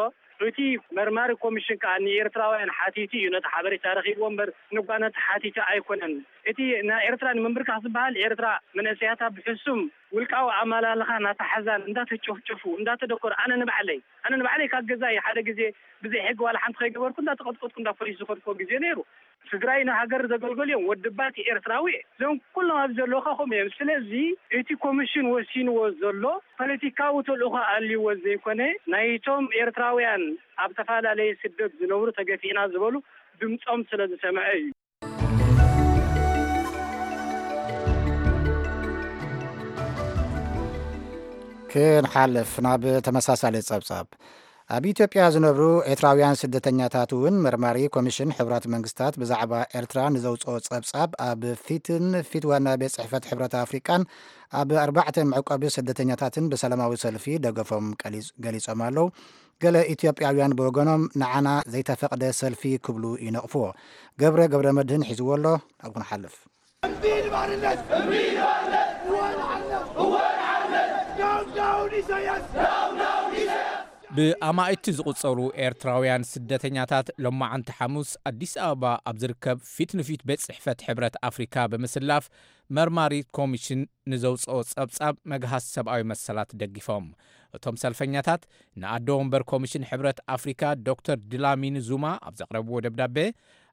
እቲ መርማሪ ኮሚሽን ከኣ ንኤርትራውያን ሓቲቱ እዩ ነቲ ሓበሬታ ረኺብዎ እምበር ንጓነት ሓቲቱ ኣይኮነን። እቲ ንኤርትራ ንምንብርካኽ ዝበሃል ኤርትራ መንእሰያታ ብሕሱም ውልቃዊ ኣመላልኻ እናተሓዛን እንዳተጨፍጨፉ እንዳተደኮሩ ኣነ ንባዕለይ ኣነ ንባዕለይ ካብ ገዛይ ሓደ ግዜ ብዘይ ሕጊ ዋላ ሓንቲ ከይገበርኩ እንዳተቐጥቀጥኩ እንዳ ፖሊስ ዝኸድኩዎ ግዜ ነይሩ። ስድራይ ንሃገር ዘገልገሉ እዮም። ወዲ ባት ኤርትራዊ እዮም። እዞም ኩሎም ኣብዚ ዘለዉ ከ ከምኡ እዮም። ስለዚ እቲ ኮሚሽን ወሲንዎ ዘሎ ፖለቲካዊ ተልእኾ ኣልይዎ ዘይኮነ ናይቶም ኤርትራውያን ኣብ ዝተፈላለየ ስደት ዝነብሩ ተገፊዕና ዝበሉ ድምጾም ስለ ዝሰምዐ እዩ። ክንሓልፍ ናብ ተመሳሳሊ ጸብጻብ። ኣብ ኢትዮጵያ ዝነብሩ ኤርትራውያን ስደተኛታት እውን መርማሪ ኮሚሽን ሕቡራት መንግስታት ብዛዕባ ኤርትራ ንዘውፅኦ ጸብጻብ ኣብ ፊትን ፊት ዋና ቤት ጽሕፈት ሕብረት ኣፍሪቃን ኣብ ኣርባዕተ መዕቆቢ ስደተኛታትን ብሰላማዊ ሰልፊ ደገፎም ቀሊጽ- ገሊጾም ኣለዉ። ገለ ኢትዮጵያውያን ብወገኖም ንዓና ዘይተፈቕደ ሰልፊ ክብሉ ይነቕፍዎ። ገብረ ገብረ መድህን ሒዝዎ ኣሎ። ኣብ ክንሓልፍ። ብኣማኢቲ ዝቑጸሩ ኤርትራውያን ስደተኛታት ሎማዓንቲ ሓሙስ ኣዲስ ኣበባ ኣብ ዝርከብ ፊት ንፊት ቤት ጽሕፈት ሕብረት ኣፍሪካ ብምስላፍ መርማሪት ኮሚሽን ንዘውፅኦ ጸብጻብ መግሃስ ሰብኣዊ መሰላት ደጊፎም። እቶም ሰልፈኛታት ንኣዶ ወንበር ኮሚሽን ሕብረት ኣፍሪካ ዶክተር ድላሚኒ ዙማ ኣብ ዘቕረብዎ ደብዳቤ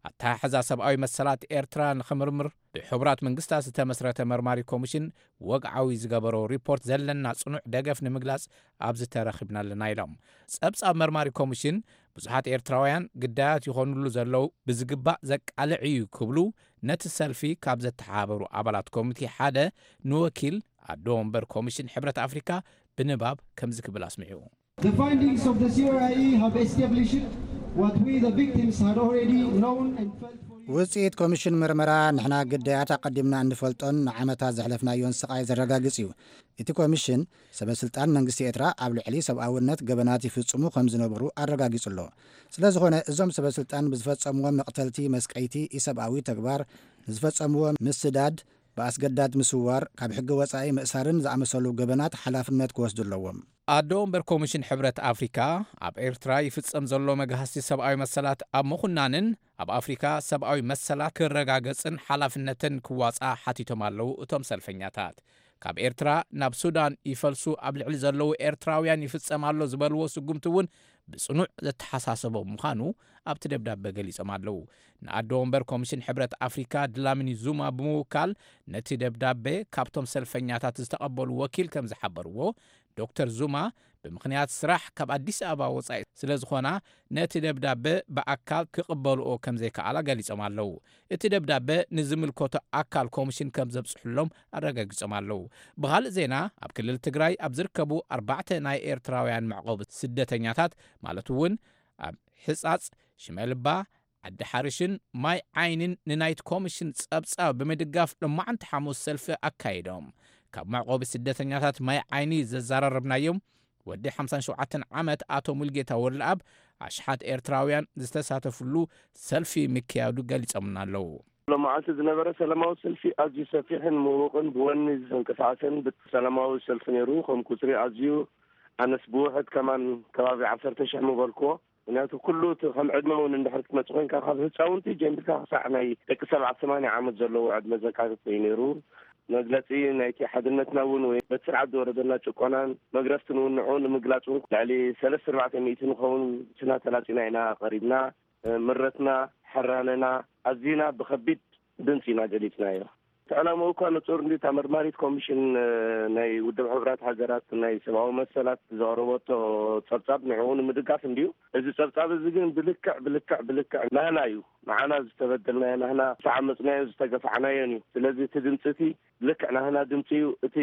ኣተሓሕዛ ሰብኣዊ መሰላት ኤርትራ ንኽምርምር ብሕቡራት መንግስታት ዝተመስረተ መርማሪ ኮሚሽን ወግዓዊ ዝገበሮ ሪፖርት ዘለና ጽኑዕ ደገፍ ንምግላጽ ኣብዚ ተረኺብና ኣለና ኢሎም። ጸብጻብ መርማሪ ኮሚሽን ብዙሓት ኤርትራውያን ግዳያት ይኾኑሉ ዘለዉ ብዝግባእ ዘቃልዕ እዩ ክብሉ ነቲ ሰልፊ ካብ ዘተሓባበሩ ኣባላት ኮሚቴ ሓደ ንወኪል ኣዶ ወንበር ኮሚሽን ሕብረት ኣፍሪካ ብንባብ ከምዚ ክብል ኣስሚዑ። The findings of the C O I E have established what we, the victims, had already known and felt for years. ውፅኢት ኮሚሽን ምርመራ ንሕና ግዳያት ኣቐዲምና እንፈልጦን ንዓመታት ዘሕለፍናዮን ስቓይ ዘረጋግጽ እዩ። እቲ ኮሚሽን ሰበ ስልጣን መንግስቲ ኤርትራ ኣብ ልዕሊ ሰብኣውነት ገበናት ይፍጽሙ ከም ዝነበሩ ኣረጋጊጹ ኣሎ። ስለ ዝኾነ እዞም ሰበ ስልጣን ብዝፈጸምዎ መቕተልቲ፣ መስቀይቲ፣ ኢሰብኣዊ ተግባር፣ ንዝፈጸምዎ ምስዳድ፣ ብኣስገዳድ ምስዋር፣ ካብ ሕጊ ወጻኢ ምእሳርን ዝኣመሰሉ ገበናት ሓላፍነት ክወስዱ ኣለዎም። ኣዶ ወንበር ኮሚሽን ሕብረት ኣፍሪካ ኣብ ኤርትራ ይፍጸም ዘሎ መግሃስቲ ሰብኣዊ መሰላት ኣብ ምኹናንን ኣብ ኣፍሪካ ሰብኣዊ መሰላት ክረጋገጽን ሓላፍነተን ክዋጻ ሓቲቶም ኣለዉ። እቶም ሰልፈኛታት ካብ ኤርትራ ናብ ሱዳን ይፈልሱ ኣብ ልዕሊ ዘለዉ ኤርትራውያን ይፍጸም ኣሎ ዝበልዎ ስጉምቲ እውን ብጽኑዕ ዘተሓሳሰቦም ምዃኑ ኣብቲ ደብዳበ ገሊጾም ኣለዉ። ንኣዶ ወንበር ኮሚሽን ሕብረት ኣፍሪካ ድላሚኒ ዙማ ብምውካል ነቲ ደብዳበ ካብቶም ሰልፈኛታት ዝተቐበሉ ወኪል ከም ዝሓበርዎ፣ ዶክተር ዙማ ብምኽንያት ስራሕ ካብ ኣዲስ ኣበባ ወጻኢ ስለ ዝኾና ነቲ ደብዳበ ብኣካል ክቕበልኦ ከም ዘይከኣላ ገሊጾም ኣለዉ። እቲ ደብዳበ ንዝምልከቶ ኣካል ኮሚሽን ከም ዘብጽሑሎም ኣረጋጊጾም ኣለዉ። ብኻልእ ዜና ኣብ ክልል ትግራይ ኣብ ዝርከቡ ኣርባዕተ ናይ ኤርትራውያን መዕቆቢ ስደተኛታት ማለት እውን ኣብ ሕጻጽ፣ ሽመልባ፣ ዓዲ ሓርሽን ማይ ዓይንን ንናይቲ ኮሚሽን ጸብጻብ ብምድጋፍ ሎማዓንቲ ሓሙስ ሰልፊ ኣካይዶም። ካብ መዕቆቢ ስደተኛታት ማይ ዓይኒ ዘዘራረብናዮም ወዲ ሓምሳን ሸውዓተን ዓመት ኣቶ ሙልጌታ ወልደኣብ ኣሽሓት ኤርትራውያን ዝተሳተፍሉ ሰልፊ ምክያዱ ገሊጾምና ኣለዉ። ሎማዓንቲ ዝነበረ ሰላማዊ ሰልፊ ኣዝዩ ሰፊሕን ምዉቕን ብወኒ ዝተንቀሳቐሰን ሰላማዊ ሰልፊ ነይሩ። ከም ቁፅሪ ኣዝዩ ኣነስ ብውሕድ ከማን ከባቢ ዓሰርተ ሽሕ ምበልክዎ። ምክንያቱ ኩሉ እቲ ከም ዕድመ እውን እንድሕር ክትመፅእ ኮይንካ ካብ ህፃውንቲ ጀሚርካ ክሳዕ ናይ ደቂ ሰባት ሰማንያ ዓመት ዘለዎ ዕድመ ዘካትት እዩ ነይሩ። መግለፂ ናይቲ ሓድነትና እውን ወይ በቲ ስርዓት ዝወረደና ጭቆናን መግረፍትን እውን ንዕኡ ንምግላፅ እውን ልዕሊ ሰለስተ ኣርባዕተ ሚእቲ ንኸውን ስና ተላፂና ኢና ቀሪብና። ምረትና፣ ሕራነና ኣዚና ብኸቢድ ድምፂ ኢና ገሊፅናዮ። እቲ ዕላምኡ እኳ ንፁር እንዲ እታ መርማሪት ኮሚሽን ናይ ውድብ ሕቡራት ሃገራት ናይ ሰብኣዊ መሰላት ዘቕረበቶ ፀብፃብ ንዕኡ ንምድጋፍ እንድዩ። እዚ ፀብፃብ እዚ ግን ብልክዕ ብልክዕ ብልክዕ ናህና እዩ። ንዓና ዝተበደልናዮ፣ ናህና ዝተዓመፅናዮ፣ ዝተገፋዕናዮን እዩ። ስለዚ እቲ ድምፂ እቲ ልክዕ ናህና ድምፂ እዩ። እቲ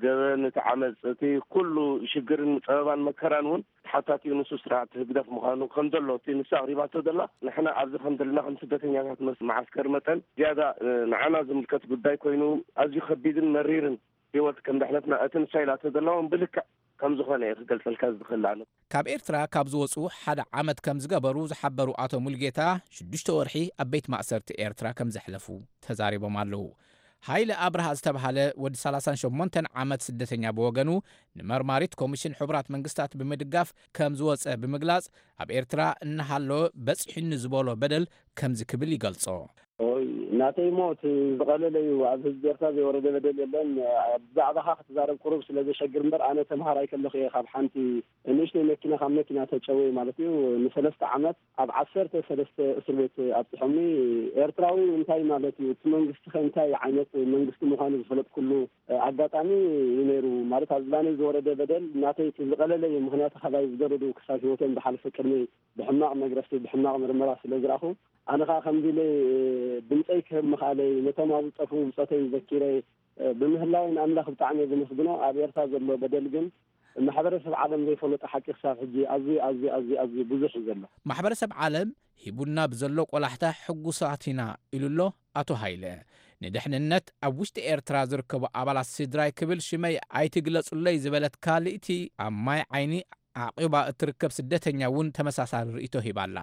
ገበን፣ እቲ ዓመፅ፣ እቲ ኩሉ ሽግርን ፀበባን መከራን እውን ተሓታቲኡ ንሱ ስርዓት ህግደፍ ምዃኑ ከም ዘሎ እቲ ንሳ ኣቕሪባቶ ዘላ፣ ንሕና ኣብዚ ከም ዘለና ከም ስደተኛታት መስ-፣ መዓስከር መጠን ዝያዳ፣ እ፣ ንዓና ዝምልከት ጉዳይ ኮይኑ ኣዝዩ ከቢድን መሪርን ህይወት ከም ድሕነትና እቲ ንሳ ኢላቶ ዘላ እውን ብልክዕ ከም ዝኾነ እየ ክገልጸልካ ዝኽእል ኣነ። ካብ ኤርትራ ካብ ዝወጹ ሓደ ዓመት ከም ዝገበሩ ዝሓበሩ ኣቶ ሙልጌታ፣ ሽዱሽተ ወርሒ ኣብ ቤት ማእሰርቲ ኤርትራ ከም ዘሕለፉ ተዛሪቦም ኣለዉ። ሃይለ ኣብርሃ ዝተብሃለ ወዲ ሰላሳን ሸሞንተን ዓመት ስደተኛ ብወገኑ፣ ንመርማሪት ኮሚሽን ሕቡራት መንግስታት ብምድጋፍ ከም ዝወጸ ብምግላጽ፣ ኣብ ኤርትራ እናሃለወ በጺሑኒ ዝበሎ በደል ከምዚ ክብል ይገልጾ። ኦይ፣ ናተይ ሞ እቲ ዝቐለለ እዩ። ኣብ ህዝቢ ኤርትራ ዘይወረደ በደል የለን። ብዛዕባኻ ክትዛረብ ቁሩብ ስለ ዘሸግር እምበር፣ ኣነ ተምሃራይ ከለኹ እየ ካብ ሓንቲ ንእሽተይ መኪና፣ ካብ መኪና ተጨወዩ ማለት እዩ። ንሰለስተ ዓመት ኣብ ዓሰርተ ሰለስተ እስር ቤት ኣብጽሖምኒ። ኤርትራዊ እንታይ ማለት እዩ? እቲ መንግስቲ ከ እንታይ ዓይነት መንግስቲ ምዃኑ ዝፈለጥኩሉ ኣጋጣሚ እዩ ነይሩ። ማለት ኣብ ዝባነይ ዝወረደ በደል ናተይ እቲ ዝቐለለ እዩ። ምኽንያቱ ካባይ ዝገደዱ ክሳብ ህይወቶም ዝሓለፈ ቅድመይ ብሕማቕ መግረፍቲ፣ ብሕማቕ ምርመራ ስለ ዝረኣኹ፣ ኣነ ኸኣ ከምዚ ኢለ ድምጸይ ክህብ ምኽኣለይ፣ ነቶም ኣብ ዝጠፍኡ ብጾተይ ዘኪረ፣ ብምህላወይ ንኣምላኽ ብጣዕሚ እየ ዘመስግኖ። ኣብ ኤርትራ ዘሎ በደል ግን ማሕበረሰብ ዓለም ዘይፈለጦ ሓቂ ክሳብ ሕጂ ኣዝዩ፣ ኣዝዩ፣ ኣዝዩ፣ ኣዝዩ ብዙሕ እዩ ዘሎ። ማሕበረሰብ ዓለም ሂቡና ብዘሎ ቆላሕታ ሕጉሳት ኢና ኢሉ ኣሎ ኣቶ ሃይለ። ንድሕንነት ኣብ ውሽጢ ኤርትራ ዝርከቡ ኣባላት ስድራይ ክብል ሽመይ ኣይትግለጹለይ ዝበለት ካልእቲ ኣብ ማይ ዓይኒ ዓቂባ እትርከብ ስደተኛ እውን ተመሳሳሊ ርእይቶ ሂባ ኣላ።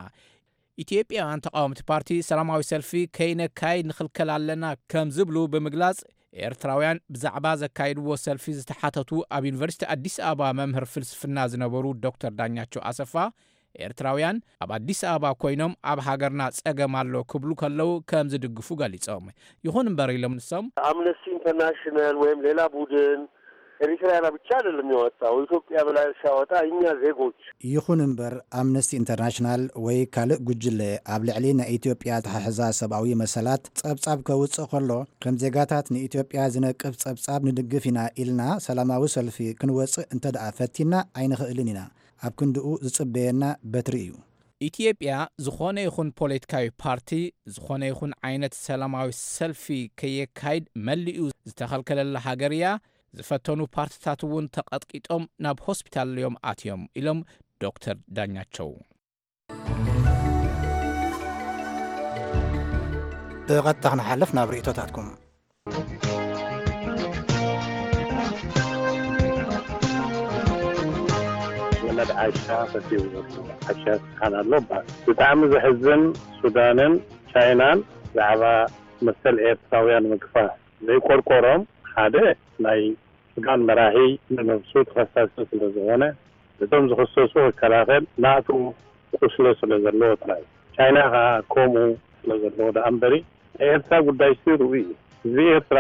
ኢትዮጵያውያን ተቃወምቲ ፓርቲ ሰላማዊ ሰልፊ ከይነካይድ ንኽልከል ኣለና ከም ዝብሉ ብምግላጽ፣ ኤርትራውያን ብዛዕባ ዘካይድዎ ሰልፊ ዝተሓተቱ ኣብ ዩኒቨርሲቲ ኣዲስ ኣበባ መምህር ፍልስፍና ዝነበሩ ዶክተር ዳኛቸው ኣሰፋ፣ ኤርትራውያን ኣብ ኣዲስ ኣበባ ኮይኖም ኣብ ሃገርና ጸገም ኣሎ ክብሉ ከለዉ ከም ዝድግፉ ገሊጾም። ይኹን እምበር ኢሎም ንሶም፣ አምነስቲ ኢንተርናሽናል ወይም ሌላ ቡድን ኤሪትራውያን ብቻ አይደለም ያወጣው፣ ኢትዮጵያ ብላ ሲያወጣ እኛ ዜጎች። ይኹን እምበር፣ ኣምነስቲ ኢንተርናሽናል ወይ ካልእ ጉጅለ ኣብ ልዕሊ ናይ ኢትዮጵያ ኣተሓሕዛ ሰብኣዊ መሰላት ጸብጻብ ከውጽእ ከሎ፣ ከም ዜጋታት ንኢትዮጵያ ዝነቅፍ ጸብጻብ ንድግፍ ኢና ኢልና ሰላማዊ ሰልፊ ክንወጽእ እንተ ደኣ ፈቲና ኣይንኽእልን ኢና። ኣብ ክንድኡ ዝጽበየና በትሪ እዩ። ኢትዮጵያ ዝኾነ ይኹን ፖለቲካዊ ፓርቲ፣ ዝኾነ ይኹን ዓይነት ሰላማዊ ሰልፊ ከየካይድ መሊኡ ዝተኸልከለላ ሃገር እያ። ዝፈተኑ ፓርትታት እውን ተቐጥቂጦም ናብ ሆስፒታል እዮም ኣትዮም ኢሎም ዶክተር ዳኛቸው። ብቐጥታ ክንሓልፍ ናብ ርእይቶታትኩም። ወለድ ዓሻ ፈትዩ፣ ዓሻ ስብሓን ኣሎ እባ። ብጣዕሚ ዘሕዝን፣ ሱዳንን ቻይናን ብዛዕባ መሰል ኤርትራውያን ምግፋፍ ዘይቆርቆሮም፣ ሓደ ናይ ሱዳን መራሒ ንነብሱ ተኸሳሲ ስለ ዝኾነ፣ ነቶም ዝኽሰሱ ክከላኸል ናቱ ቁስሎ ስለ ዘለዎ ጥራይ። ቻይና ኸኣ ከምኡ ስለ ዘለዎ ደኣ እምበሪ፣ ናይ ኤርትራ ጉዳይ ሲ ርኡይ እዩ። ህዝቢ ኤርትራ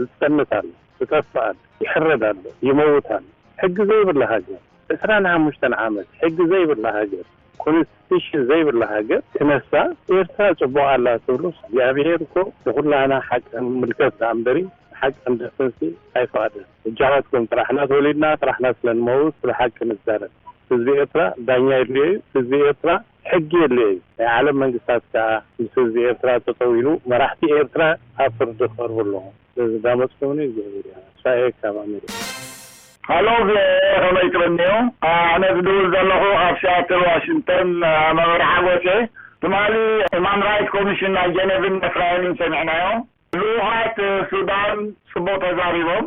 ዝጸንት ኣሎ፣ ዝጠፍእ ኣሎ፣ ይሕረድ ኣሎ፣ ይመውት ኣሎ። ሕጊ ዘይብላ ሃገር፣ ዕስራን ሓሙሽተን ዓመት ሕጊ ዘይብላ ሃገር፣ ኮንስቲቱሽን ዘይብላ ሃገር ክነሳ፣ ኤርትራ ጽቡቕ ኣላ ትብሉስ፣ እግዚኣብሄር እኮ ንኹላህና ሓቂ ንምልከት ደኣ እምበሪ፣ ሓቂ ክንደፍንሲ ኣይፈቐደን። እጃኻትኩም ጥራሕና ተወሊድና፣ ጥራሕና ስለ ንመውት፣ ስለ ሓቂ ንዛረብ። ህዝቢ ኤርትራ ዳኛ የድልዮ እዩ። ህዝቢ ኤርትራ ሕጊ የድልዮ እዩ። ናይ ዓለም መንግስታት ከኣ ምስ ህዝቢ ኤርትራ ጠጠው ኢሉ፣ መራሕቲ ኤርትራ ኣብ ፍርዲ ክቐርቡ ኣለዎም። ስለዝዳመፅኩምኒ እግዚኣብሔር ይባርክ። ሳኤ ካብ ኣሜሪካ። ሃሎ፣ ቪኦኤ ከመይ ትብልንዩ? ኣነ ዝድውል ዘለኹ ካብ ሲያትል ዋሽንግተን፣ መምህር ሓጎሴ። ትማሊ ሁማን ራይት ኮሚሽን ናይ ጀኔቭን ኤፍራይምን ሰሚዕናዮ። ልኡኻት ሱዳን ጽቡቕ ተዛሪቦም፣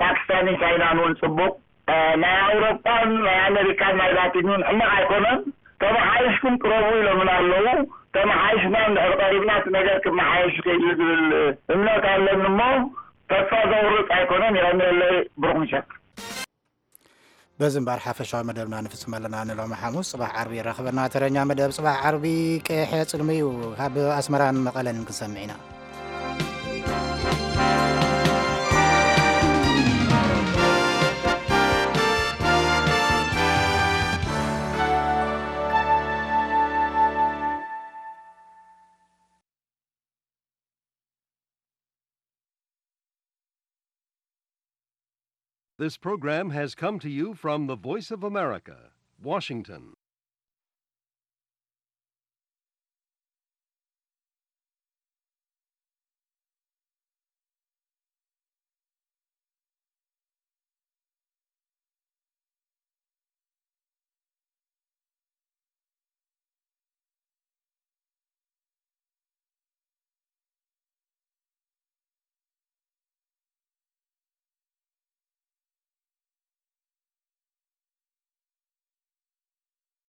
ፓኪስታንን ቻይናን እውን ጽቡቕ። ናይ ኣውሮጳን ናይ ኣሜሪካን ናይ ላቲን እውን ሕማቕ ኣይኮነን። ተመሓይሽኩም ቅረቡ ኢሎምና ኣለዉ። ተመሓይሽና እንድሕር ቀሪብና እቲ ነገር ክመሓየሽ ይኽእል እዩ ዝብል እምነት ኣለኒ እሞ ተስፋ ዘቑርጽ ኣይኮነን። የቐንየለይ። ብሩኽ ምሸት። በዚ እምበር ሓፈሻዊ መደብና ንፍጽም ኣለና። ንሎሚ ሓሙስ ጽባሕ ዓርቢ ይራኽበና። ተረኛ መደብ ጽባሕ ዓርቢ ቀይሕ ጽልሚ እዩ። ካብ ኣስመራን መቐለን ክንሰምዕ ኢና። This program has come to you from the Voice of America, Washington.